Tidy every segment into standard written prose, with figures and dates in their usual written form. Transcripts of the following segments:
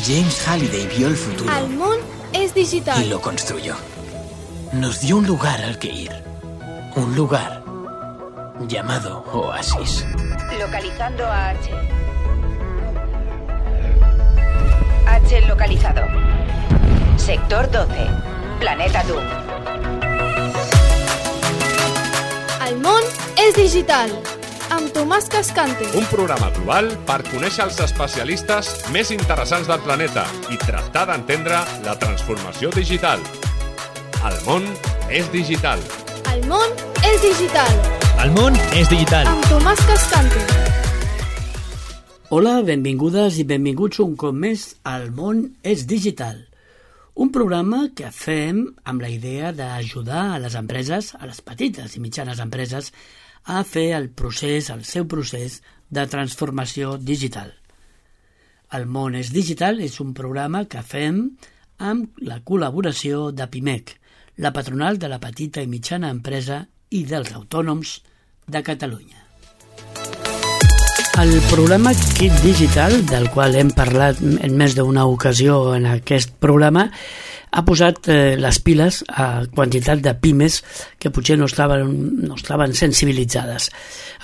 James Halliday vio el futuro. El món es digital. Y lo construyó. Nos dio un lugar al que ir. Un lugar llamado Oasis. Localizando a H. H localizado. Sector 12. Planeta Doom. El món és digital. Amb Tomàs Cascante. Un programa global per conèixer els especialistes més interessants del planeta i tractar d'entendre la transformació digital. El món és digital. El món és digital. El món és digital. Amb Tomàs Cascante. Hola, benvingudes i benvinguts un cop més al món és digital. Un programa que fem amb la idea d'ajudar a les empreses, a les petites i mitjanes empreses, a fer el seu procés de transformació digital. El món és digital és un programa que fem amb la col·laboració de PIMEC, la patronal de la petita i mitjana empresa i dels autònoms de Catalunya. El programa Kit Digital, del qual hem parlat en més d'una ocasió en aquest programa, ha posat les piles a quantitat de pimes que potser no estaven sensibilitzades.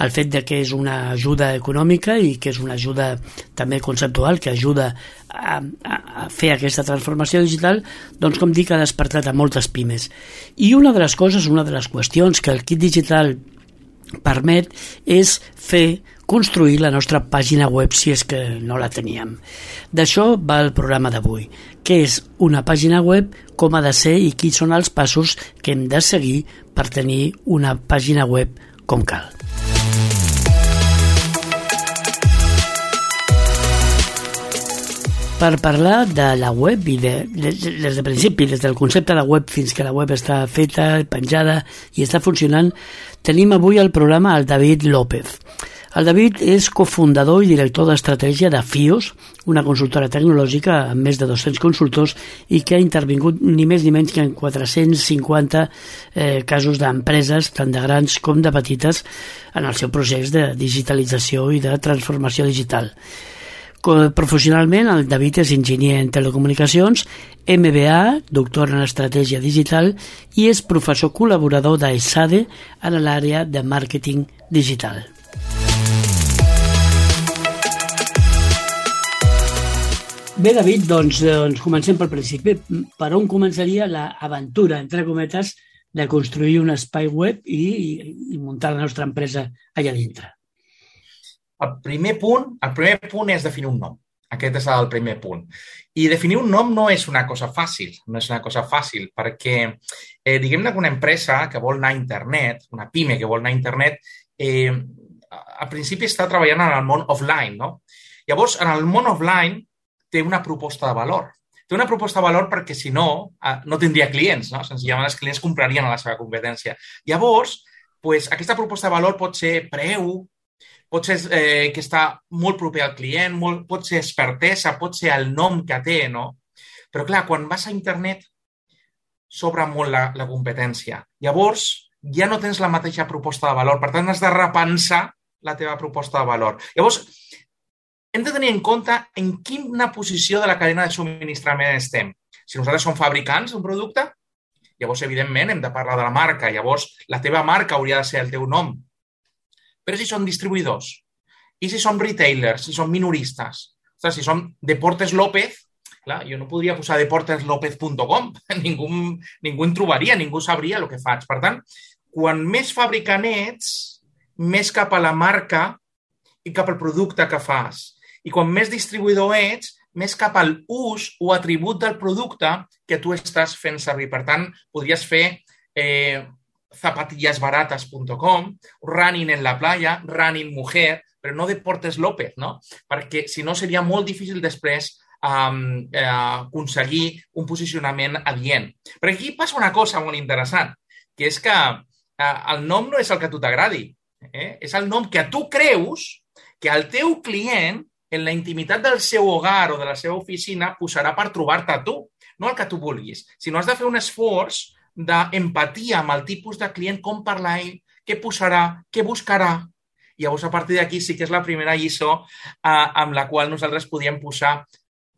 El fet de que és una ajuda econòmica i que és una ajuda també conceptual que ajuda a fer aquesta transformació digital, doncs com dic, ha despertat a moltes pimes. I una de les qüestions que el Kit Digital permet és construir la nostra pàgina web si és que no la teníem. D'això va el programa d'avui. Què és una pàgina web, com ha de ser i quins són els passos que hem de seguir per tenir una pàgina web com cal. Per parlar de la web i des de principi, des del concepte de web fins que la web està feta, penjada i està funcionant, tenim avui al programa el David López. El David és cofundador i director d'estratègia de FIOS, una consultora tecnològica amb més de 200 consultors i que ha intervingut ni més ni menys que en 450 casos d'empreses, tant de grans com de petites, en el seu procés de digitalització i de transformació digital. Professionalment, el David és enginyer en telecomunicacions, MBA, doctor en estratègia digital i és professor col·laborador d'ESADE en l'àrea de màrqueting digital. Bé, David, doncs comencem pel principi. Per on començaria l'aventura, entre cometes, de construir un espai web i muntar la nostra empresa allà dintre? El primer punt és definir un nom. Aquest és el primer punt. I definir un nom no és una cosa fàcil, perquè diguem-ne que una empresa que vol anar a internet, una pime que vol anar a internet, al principi està treballant en el món offline, no? Llavors, en el món offline té una proposta de valor. Té una proposta de valor perquè, si no, no tindria clients, no? Senzillament els clients comprarien a la seva competència. Llavors, aquesta proposta de valor pot ser preu, pot ser que està molt proper al client, pot ser expertesa, pot ser el nom que té, no? Però, clar, quan vas a internet, s'obre molt la competència. Llavors, ja no tens la mateixa proposta de valor. Per tant, has de repensar la teva proposta de valor. Llavors, hem de tenir en compte en quina posició de la cadena de subministrament estem. Si nosaltres som fabricants d'un producte, llavors, evidentment, hem de parlar de la marca. Llavors, la teva marca hauria de ser el teu nom. Però si són distribuïdors, i si som retailers, si som minoristes, si som Deportes López, clar, jo no podria posar deporteslopez.com, ningú en trobaria, ningú sabria el que faig. Per tant, quan més fabricant ets, més cap a la marca i cap al producte que fas. I quan més distribuïdor ets, més cap al ús o atribut del producte que tu estàs fent servir. Per tant, podries fer zapatillesbaratas.com, running en la playa, running mujer, però no Deportes López, no? Perquè, si no, seria molt difícil després aconseguir un posicionament adient. Però aquí passa una cosa molt interessant, que és que el nom no és el que a tu t'agradi. És el nom que tu creus que el teu client, en la intimitat del seu hogar o de la seva oficina, posarà per trobar-te a tu, no el que tu vulguis. Sinó has de fer un esforç d'empatia amb el tipus de client, com parlar ell, què posarà, què buscarà. I llavors, a partir d'aquí, sí que és la primera lliçó amb la qual nosaltres podíem posar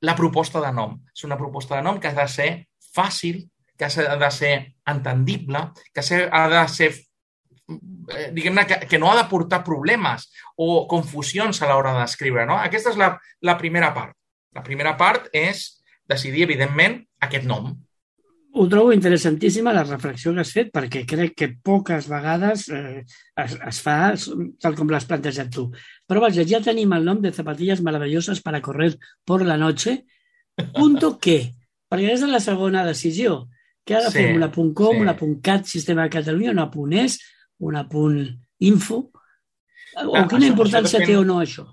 la proposta de nom. És una proposta de nom que ha de ser fàcil, que ha de ser entendible, que ha de ser, diguem-ne, que no ha de portar problemes o confusions a l'hora d'escriure, no? Aquesta és la primera part. La primera part és decidir, evidentment, aquest nom. Ho trobo interessantíssima la reflexió que has fet, perquè crec que poques vegades es fa tal com l'has plantejat tu. Però vaja, ja tenim el nom de Zapatillas Maravillosas para correr por la noche. Punto ¿qué? Perquè és la segona decisió. Què ha de fer una .com, una .cat, Sistema de Catalunya, una .es, una .info? O quina importància té o no això?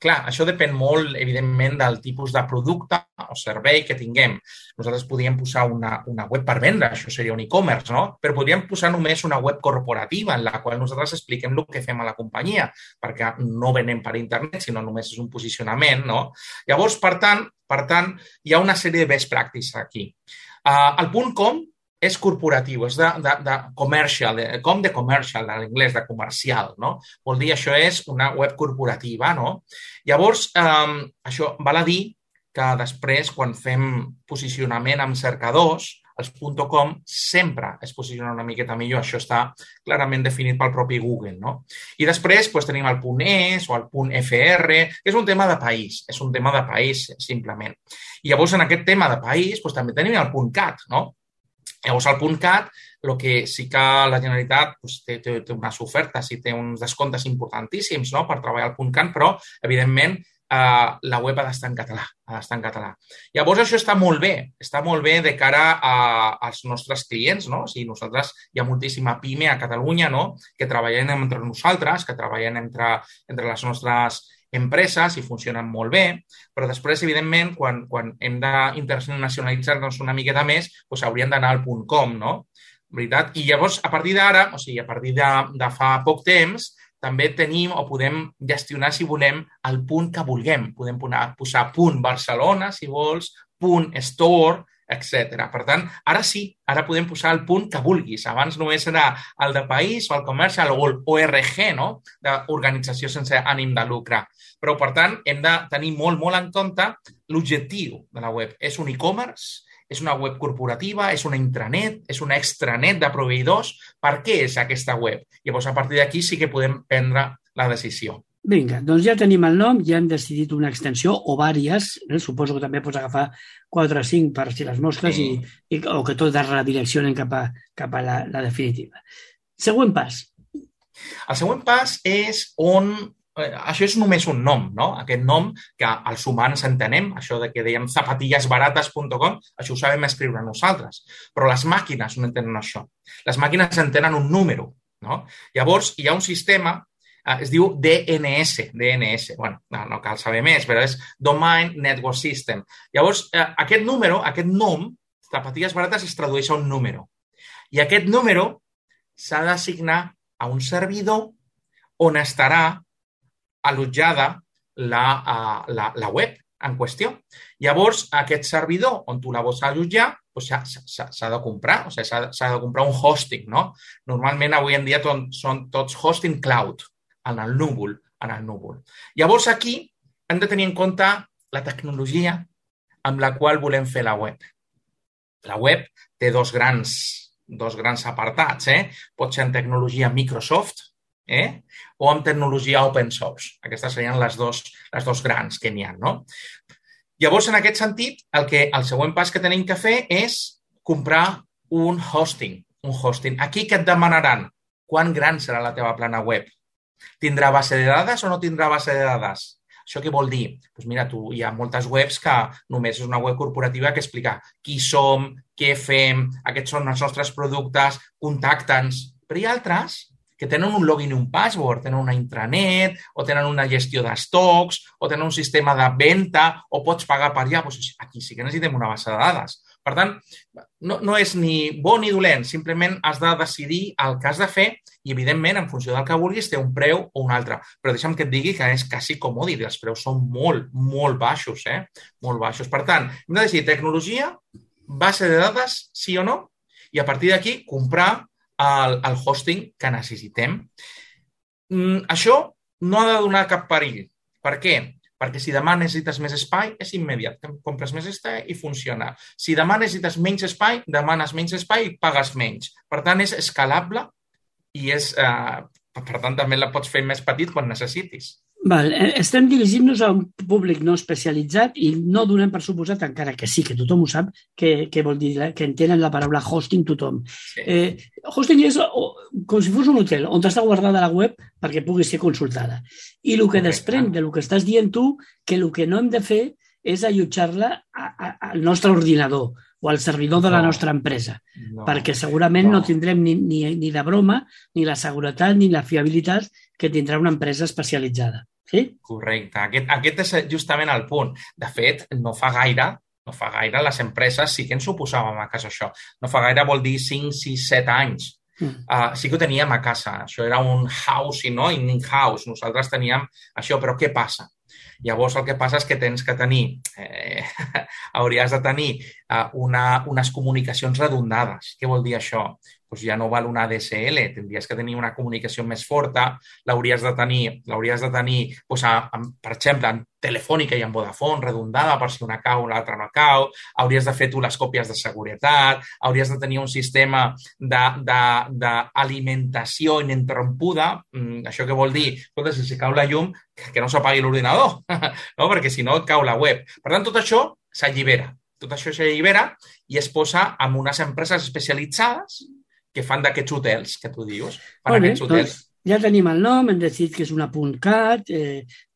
Clar, això depèn molt, evidentment, del tipus de producte o servei que tinguem. Nosaltres podríem posar una web per vendre, això seria un e-commerce, no? Però podríem posar només una web corporativa en la qual nosaltres expliquem el que fem a la companyia, perquè no venem per internet, sinó només és un posicionament, no? Llavors, per tant, hi ha una sèrie de best practices aquí. El .com és corporatiu, és de commercial, com de commercial, en anglès, de comercial, no? Vol dir, això és una web corporativa, no? Llavors, això val a dir que després, quan fem posicionament amb cercadors, els .com sempre es posiciona una miqueta millor. Això està clarament definit pel propi Google, no? I després tenim el .es o el .fr, que és un tema de país, simplement. I llavors, en aquest tema de país, també tenim el .cat, no? Llavors, al .cat, el que sí que la Generalitat té unes ofertes i té uns descomptes importantíssims, no?, per treballar al .cat, però, evidentment, la web ha d'estar en català. Llavors, això està molt bé de cara als nostres clients, no? O sigui, nosaltres hi ha moltíssima pime a Catalunya, no?, que treballen entre nosaltres, que treballen entre les nostres empreses i funcionen molt bé, però després, evidentment, quan hem d'internacionalitzar-nos una miqueta més, hauríem d'anar al .com, no? Veritat? I llavors, a partir d'ara, o sigui, a partir de fa poc temps, també tenim o podem gestionar, si volem, el punt que vulguem. Podem posar .Barcelona, si vols, .store, etc. Per tant, ara sí, ara podem posar el punt que vulguis. Abans només era el de país o el comercial o el ORG, no?, d'organització sense ànim de lucre. Però, per tant, hem de tenir molt, molt en compte l'objectiu de la web. És un e-commerce, és una web corporativa, és una intranet, és una extranet de proveïdors. Per què és aquesta web? Llavors, a partir d'aquí sí que podem prendre la decisió. Vinga, doncs ja tenim el nom, ja hem decidit una extensió o vàries, suposo que també pots agafar 4 o 5 per si les mosques o que tot es redireccionen cap a la definitiva. Següent pas. El següent pas és on... Això és només un nom, no? Aquest nom que els humans entenem, això de que dèiem zapatillasbaratas.com, això ho sabem escriure nosaltres. Però les màquines no entenen això. Les màquines entenen un número, no? Llavors, hi ha un sistema, es diu DNS. Bueno, no cal saber més, però és Domain Network System. Llavors, aquest número, aquest nom, zapatillas baratas, es tradueix a un número. I aquest número s'ha d'assignar a un servidor on estarà allotjada la web en qüestió. Llavors, aquest servidor on tu la vols allotjar s'ha de comprar, o sigui, s'ha de comprar un hosting, no? Normalment, avui en dia, són tots hosting cloud, en el núvol. Llavors, aquí hem de tenir en compte la tecnologia amb la qual volem fer la web. La web té dos grans apartats, Pot ser en tecnologia Microsoft, o amb tecnologia open source. Aquestes serien les dos grans que n'hi ha, no? Llavors, en aquest sentit, el següent pas que tenim que fer és comprar un hosting. Aquí què et demanaran? Quan gran serà la teva plana web? Tindrà base de dades o no tindrà base de dades? Això què vol dir? Doncs mira, hi ha moltes webs que només és una web corporativa que explica qui som, què fem, aquests són els nostres productes, contacta'ns. Però hi ha altres que tenen un login i un password, tenen una intranet, o tenen una gestió d'estocs, o tenen un sistema de venda, o pots pagar per allà. Doncs aquí sí que necessitem una base de dades. Per tant, no és ni bo ni dolent, simplement has de decidir el que has de fer i, evidentment, en funció del que vulguis, té un preu o un altre. Però deixa'm que et digui que és quasi comòdit, els preus són molt, molt baixos, Molt baixos. Per tant, hem de decidir tecnologia, base de dades, sí o no, i a partir d'aquí comprar el hosting que necessitem. Això no ha de donar cap perill. Per què? Perquè si demà necessites més espai, és immediat. Compres més espai i funciona. Si demà necessites menys espai, demanes menys espai i pagues menys. Per tant, és escalable i per tant, també la pots fer més petit quan necessitis. Val, estem dirigint-nos a un públic no especialitzat i no donem per suposat, encara que sí, que tothom ho sap, que vol dir que entenen la paraula hosting tothom. Sí. Hosting és com si fos un hotel on està guardada la web perquè pugui ser consultada. I el que desprèn del que estàs dient tu, que el que no hem de fer és allotjar-la al nostre ordinador o al servidor de la nostra empresa, perquè segurament no tindrem ni de broma ni la seguretat ni la fiabilitat que tindrà una empresa especialitzada. Sí? Correcte. Aquest és justament el punt. De fet, no fa gaire les empreses sí que ens oposàvem a casa això. No fa gaire vol dir 5, 6, 7 anys. Sí que ho teníem a casa. Això era un housing, no? In-house. Nosaltres teníem això, però què passa? Llavors, el que passa és que tens que tenir, hauries de tenir unes comunicacions redundades. Què vol dir això? Doncs ja no val una ADSL, tindries que tenir una comunicació més forta, l'hauries de tenir doncs, per exemple, en Telefònica i en Vodafone, redundada per si una cau, l'altra no cau, hauries de fer tu les còpies de seguretat, hauries de tenir un sistema d'alimentació ininterrompuda. Això què vol dir? Escolta, si cau la llum, que no s'apagui l'ordinador, no? Perquè si no et cau la web. Per tant, tot això s'allibera. Tot això s'allibera i es posa en unes empreses especialitzades que fan d'aquests hotels que tu dius. Doncs ja tenim el nom, hem decidit que és una .cat,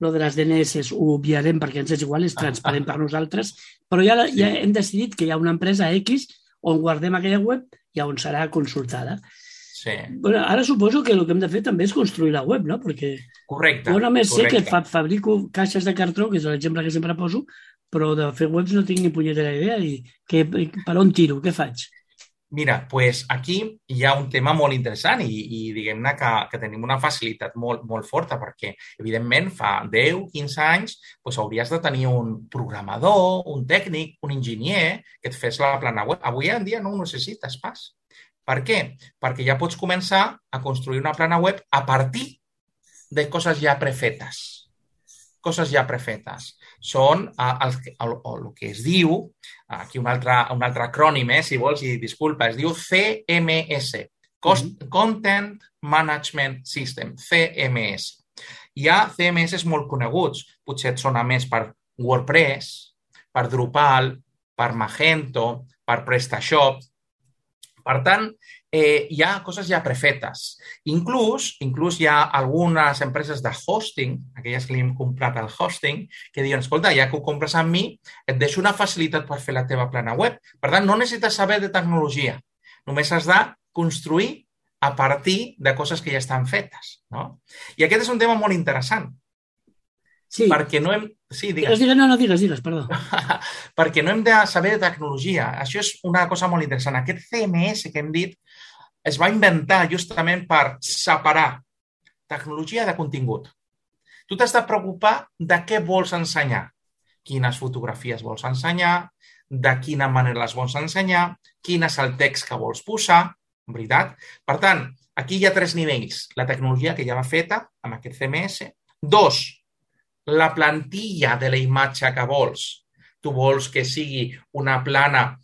lo de les DNS ho obviarem perquè ens és igual, és transparent per nosaltres, però ja hem decidit que hi ha una empresa X on guardem aquella web i on serà consultada. Sí. Bueno, ara suposo que el que hem de fer també és construir la web, no? Perquè correcte. Jo només sé que fabrico caixes de cartró, que és l'exemple que sempre poso, però de fer webs no tinc ni punyetera idea i per on tiro, què faig? Mira, pues aquí hi ha un tema molt interessant i diguem-ne que tenim una facilitat molt forta perquè, evidentment, fa 10-15 anys pues, hauries de tenir un programador, un tècnic, un enginyer que et fes la plana web. Avui en dia no ho necessites pas. Per què? Perquè ja pots començar a construir una plana web a partir de coses ja prefetes. Coses ja prefetes. Són el que es diu, aquí un altre acrònim, si vols, i disculpa, es diu CMS, Content Management System, CMS. Hi ha CMS molt coneguts, potser et sona més per WordPress, per Drupal, per Magento, per PrestaShop. Per tant, hi ha coses ja prefetes. Inclús hi ha algunes empreses de hosting, aquelles que li hem comprat el hosting, que diuen, escolta, ja que ho compres amb mi, et deixo una facilitat per fer la teva plana web. Per tant, no necessites saber de tecnologia. Només has de construir a partir de coses que ja estan fetes. No? I aquest és un tema molt interessant. Sí. Perquè no hem... Sí, digues. No, digues, perdó. Perquè no hem de saber de tecnologia. Això és una cosa molt interessant. Aquest CMS que hem dit es va inventar justament per separar tecnologia de contingut. Tu t'has de preocupar de què vols ensenyar, quines fotografies vols ensenyar, de quina manera les vols ensenyar, quin és el text que vols posar, veritat? Per tant, aquí hi ha 3 nivells. La tecnologia que ja va feta amb aquest CMS. 2, la plantilla de la imatge que vols. Tu vols que sigui una plana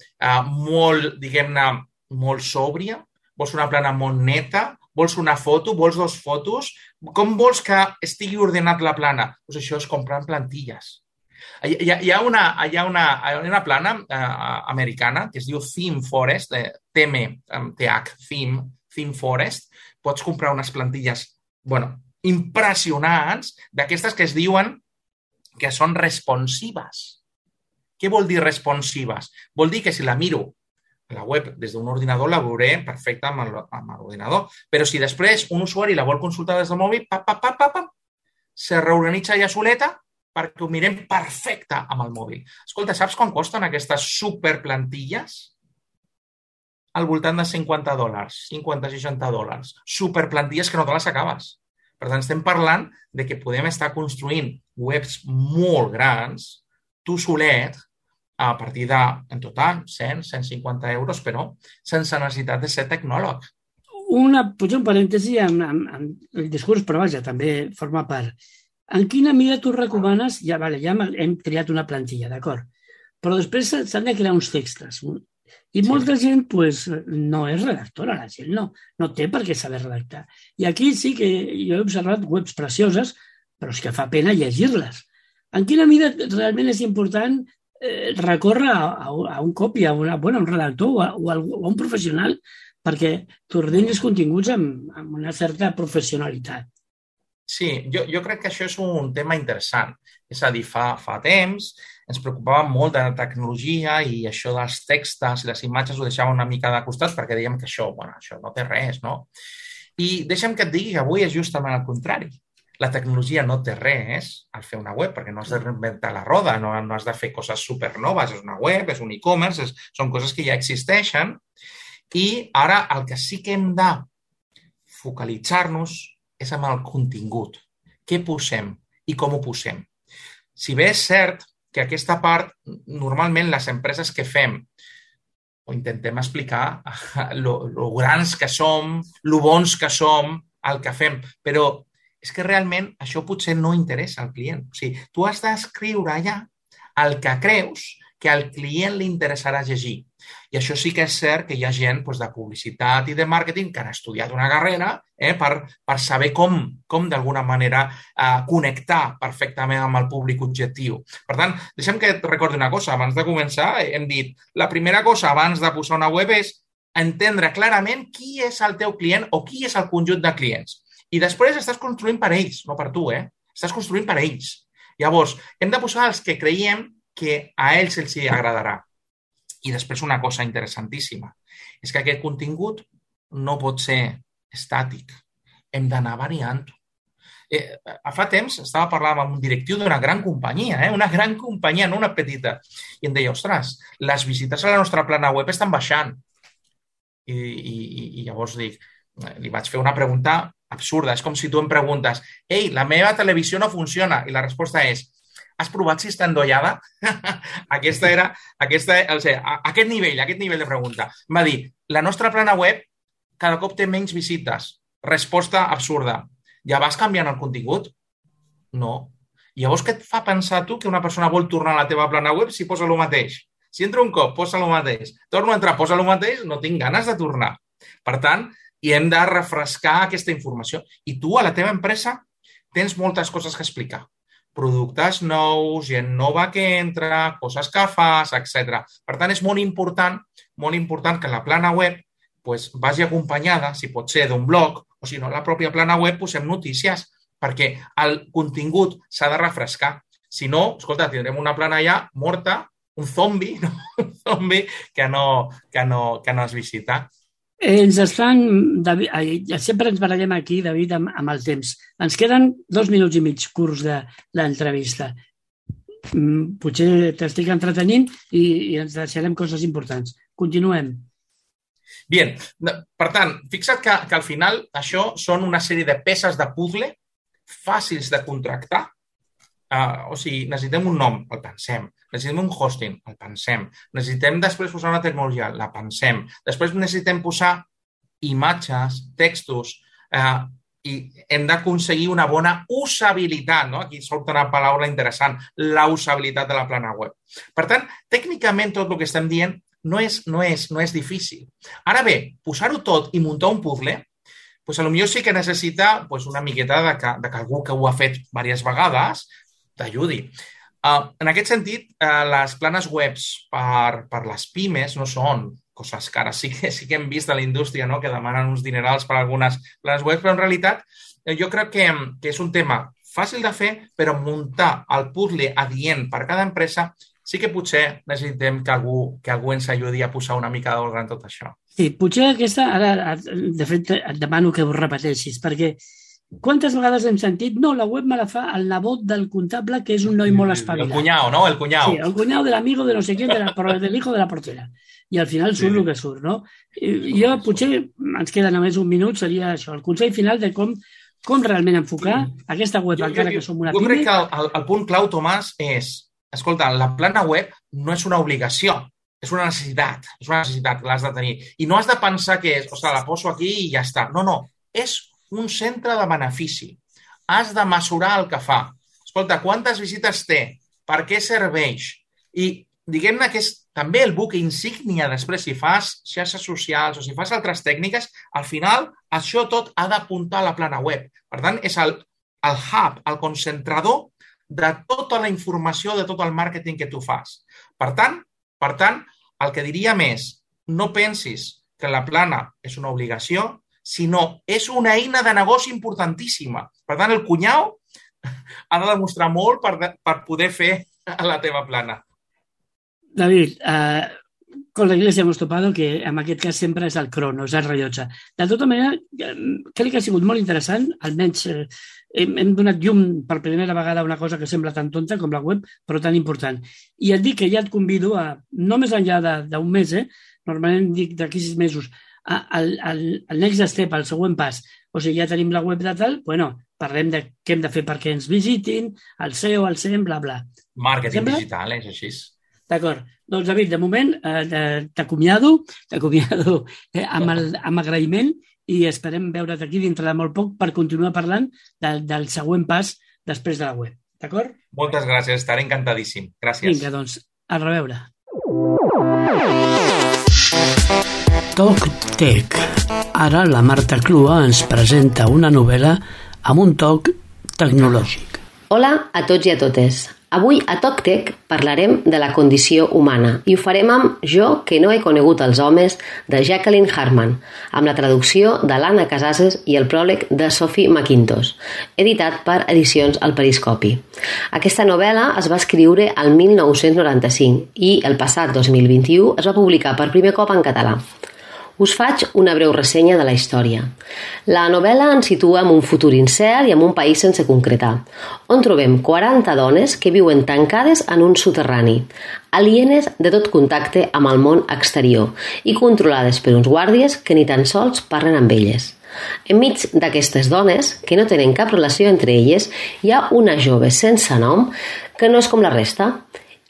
molt, diguem-ne, molt sòbria, vols una plana molt neta, vols una foto, vols 2 fotos, com vols que estigui ordenat la plana? Doncs això és comprar plantilles. Hi ha una plana americana que es diu Theme Forest, Theme Forest. Pots comprar unes plantilles, impressionants, d'aquestes que es diuen que són responsives. Què vol dir responsives? Vol dir que si la miro a la web des d'un ordinador la veuré perfecta amb l'ordinador, però si després un usuari la vol consultar des del mòbil, se reorganitza ja soleta perquè ho mirem perfecte amb el mòbil. Escolta, saps quan costen aquestes superplantilles? Al voltant de $50, $50-60. Superplantilles que no te les acabes. Per tant, estem parlant de que podem estar construint webs molt grans, tu solet, a partir de, en total, 100-150 euros, però sense necessitat de ser tecnòleg. Potser un parèntesi amb el discurs, però vaja, també forma part. En quina mida tu recomanes? Ja hem triat una plantilla, d'acord. Però després s'han de crear uns textos. I molta gent no és redactora, la gent no té per què saber redactar. I aquí sí que jo he observat webs precioses, però és que fa pena llegir-les. En quina mida realment és important recórrer a un copy, a un redactor o a un professional perquè t'ordenis continguts amb una certa professionalitat? Sí, jo crec que això és un tema interessant. És a dir, fa temps ens preocupava molt de la tecnologia i això dels textos i les imatges ho deixava una mica de costat perquè dèiem que això no té res, no? I deixa'm que et digui que avui és justament el contrari. La tecnologia no té res al fer una web, perquè no has de reinventar la roda, no has de fer coses supernoves, és una web, és un e-commerce, són coses que ja existeixen. I ara el que sí que hem de focalitzar-nos és amb el contingut. Què posem i com ho posem? Si bé és cert que aquesta part, normalment les empreses que fem o intentem explicar lo grans que som, lo bons que som, el que fem, però és que realment això potser no interessa al client. O sigui, tu has d'escriure allà el que creus que al client li interessarà llegir. I això sí que és cert que hi ha gent de publicitat i de màrqueting que han estudiat una carrera per saber com d'alguna manera connectar perfectament amb el públic objectiu. Per tant, deixa'm que et recordi una cosa. Abans de començar hem dit la primera cosa abans de posar una web és entendre clarament qui és el teu client o qui és el conjunt de clients. I després estàs construint per ells, no per tu, Estàs construint per ells. Llavors, hem de posar els que creiem que a ells els hi agradarà. I després una cosa interessantíssima, és que aquest contingut no pot ser estàtic. Hem d'anar variant-ho. Fa temps estava parlant amb un directiu d'una gran companyia, una gran companyia, no una petita, i em deia, ostres, les visites a la nostra plana web estan baixant. I llavors li vaig fer una pregunta absurda. És com si tu em preguntes, ei, la meva televisió no funciona, i la resposta és, has provat si està endollada? Aquest nivell de pregunta. Em va dir, la nostra plana web cada cop té menys visites. Resposta absurda. Ja vas canviant el contingut? No. I llavors què et fa pensar tu que una persona vol tornar a la teva plana web si posa el mateix? Si entra un cop, posa el mateix. Torno a entrar, posa el mateix, no tinc ganes de tornar. Per tant, i hem de refrescar aquesta informació. I tu, a la teva empresa, tens moltes coses que explicar. Productes nous, gent nova que entra, coses que fas, etc. Per tant, és molt important que la plana web vagi acompanyada, si pot ser d'un blog, o si no, a la pròpia plana web posem notícies, perquè el contingut s'ha de refrescar. Si no, escolta, tindrem una plana ja morta, un zombi, no? Un zombi que no es visita. Ens estan, sempre ens barallem aquí, David, amb el temps. Ens queden 2 minuts i mig curts de l'entrevista. Potser t'estic entretenint i ens deixarem coses importants. Continuem. Bien, per tant, fixa't que al final això són una sèrie de peces de puzzle fàcils de contractar. O sigui, necessitem un nom, el pensem. Necessitem un hosting, el pensem. Necessitem després posar una tecnologia, la pensem. Després necessitem posar imatges, textos, i hem d'aconseguir una bona usabilitat, no? Aquí surt una paraula interessant, la usabilitat de la plana web. Per tant, tècnicament tot el que estem dient no és difícil. Ara bé, posar-ho tot i muntar un puzzle, potser sí que necessita una miqueta de que algú que ho ha fet diverses vegades t'ajudi. En aquest sentit, les planes webs per les pimes no són coses cares. Sí que hem vist a la indústria que demanen uns dinerals per algunes planes webs, però en realitat jo crec que és un tema fàcil de fer, però muntar el puzzle adient per cada empresa sí que potser necessitem que algú ens ajudi a posar una mica d'ordre en tot això. Sí, potser aquesta, ara, de fet, et demano que ho repeteixis, perquè quantes vegades hem sentit la web me la fa el nebot del comptable, que és un noi molt espavilat. El cunyau, no? El cunyau. Sí, el cunyau del amigo de no sé quién, del hijo de la portera. I al final surt el que surt, no? Jo, potser, ens queda només un minut, seria això, el consell final de com realment enfocar aquesta web, encara que som una pime. Jo crec que el punt clau, Tomàs, és, escolta, la plana web no és una obligació, és una necessitat que l'has de tenir. I no has de pensar que és, ostres, la poso aquí i ja està. No, és un centre de benefici. Has de mesurar el que fa. escolta, quantes visites té, per què serveix, i diguem-ne que és també el buc insígnia després si fas xarxes socials o si fas altres tècniques, al final això tot ha d'apuntar a la plana web. Per tant, és el hub, el concentrador de tota la informació, de tot el màrqueting que tu fas. Per tant, el que diríem és, no pensis que la plana és una obligació, sinó és una eina de negoci importantíssima. Per tant, el cunyau ha de demostrar molt per poder fer la teva plana. David, con la Iglesia hemos topado que en aquest cas sempre és el crono, és el rellotge. De tota manera, crec que ha sigut molt interessant, almenys hem donat llum per primera vegada a una cosa que sembla tan tonta com la web, però tan important. I et dic que ja et convido a, no més enllà d'un mes, normalment dic d'aquí 6 mesos, al next step, al següent pas. O sigui, ja tenim la web de tal, bueno, parlem de què hem de fer perquè ens visitin, el SEO, el SEM, bla, bla. Màrqueting digital, és així. D'acord. Doncs, David, de moment t'acomiado amb agraïment i esperem veure't aquí dintre de molt poc per continuar parlant del següent pas després de la web. D'acord? Moltes gràcies, estaré encantadíssim. Gràcies. Vinga, doncs, a reveure. Toc Tech. Ara la Marta Clua ens presenta una novel·la amb un toc tecnològic. Hola a tots i a totes. Avui a Toc Tech parlarem de la condició humana i ho farem amb Jo que no he conegut els homes de Jacqueline Harman, amb la traducció de l'Anna Casases i el pròleg de Sophie McIntosh, editat per Edicions El Periscopi. Aquesta novel·la es va escriure el 1995 i el passat 2021 es va publicar per primer cop en català. Us faig una breu ressenya de la història. La novel·la ens situa en un futur incert i en un país sense concretar, on trobem 40 dones que viuen tancades en un soterrani, alienes de tot contacte amb el món exterior i controlades per uns guàrdies que ni tan sols parlen amb elles. Enmig d'aquestes dones, que no tenen cap relació entre elles, hi ha una jove sense nom que no és com la resta.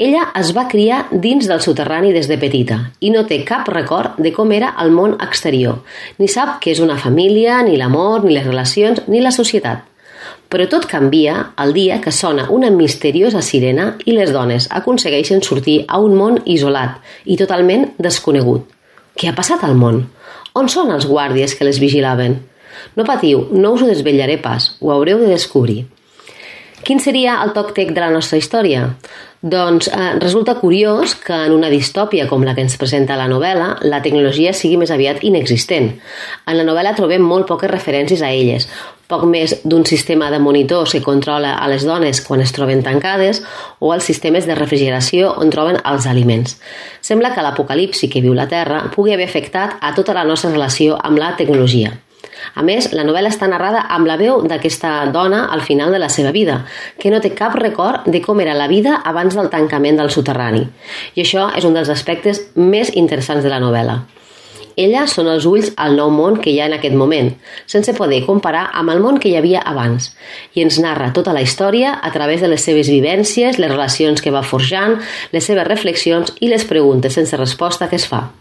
Ella es va criar dins del soterrani des de petita i no té cap record de com era el món exterior, ni sap què és una família, ni l'amor, ni les relacions, ni la societat. Però tot canvia el dia que sona una misteriosa sirena i les dones aconsegueixen sortir a un món isolat i totalment desconegut. Què ha passat al món? On són els guàrdies que les vigilaven? No patiu, no us ho desvetllaré pas, ho haureu de descobrir. Quin seria el toc tec de la nostra història? Doncs resulta curiós que en una distòpia com la que ens presenta la novel·la, la tecnologia sigui més aviat inexistent. En la novel·la trobem molt poques referències a elles, poc més d'un sistema de monitors que controla a les dones quan es troben tancades o els sistemes de refrigeració on troben els aliments. Sembla que l'apocalipsi que viu la Terra pugui haver afectat a tota la nostra relació amb la tecnologia. A més, la novel·la està narrada amb la veu d'aquesta dona al final de la seva vida, que no té cap record de com era la vida abans del tancament del soterrani. I això és un dels aspectes més interessants de la novel·la. Ella són els ulls al nou món que hi ha en aquest moment, sense poder comparar amb el món que hi havia abans, i ens narra tota la història a través de les seves vivències, les relacions que va forjant, les seves reflexions i les preguntes sense resposta que es fa.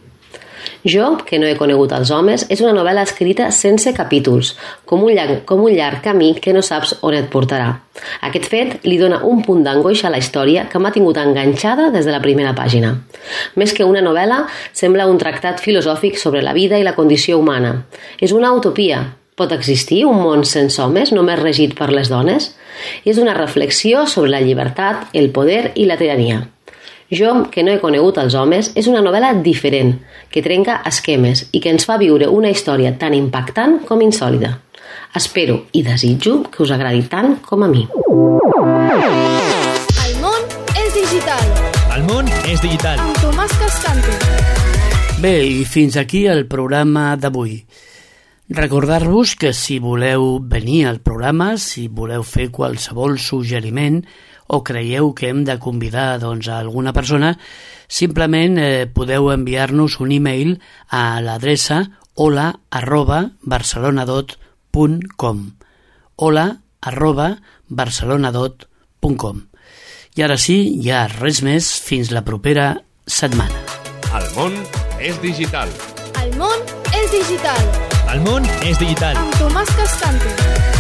Jo, que no he conegut els homes, és una novel·la escrita sense capítols, com un llarg camí que no saps on et portarà. Aquest fet li dona un punt d'angoixa a la història que m'ha tingut enganxada des de la primera pàgina. Més que una novel·la, sembla un tractat filosòfic sobre la vida i la condició humana. És una utopia. Pot existir un món sense homes, només regit per les dones? És una reflexió sobre la llibertat, el poder i la tirania. Jo, que no he conegut els homes, és una novel·la diferent, que trenca esquemes i que ens fa viure una història tan impactant com insòlida. Espero i desitjo que us agradi tant com a mi. El món és digital. El món és digital. Amb Tomàs Cascante. Bé, i fins aquí el programa d'avui. Recordar-vos que si voleu venir al programa, si voleu fer qualsevol suggeriment o creieu que hem de convidar a alguna persona, simplement podeu enviar-nos un e-mail a l'adreça hola@barcelonadot.com hola@barcelonadot.com. I ara sí, ja res més, fins la propera setmana. El món és digital. El món és digital. El món és digital. Amb Tomàs Cascante.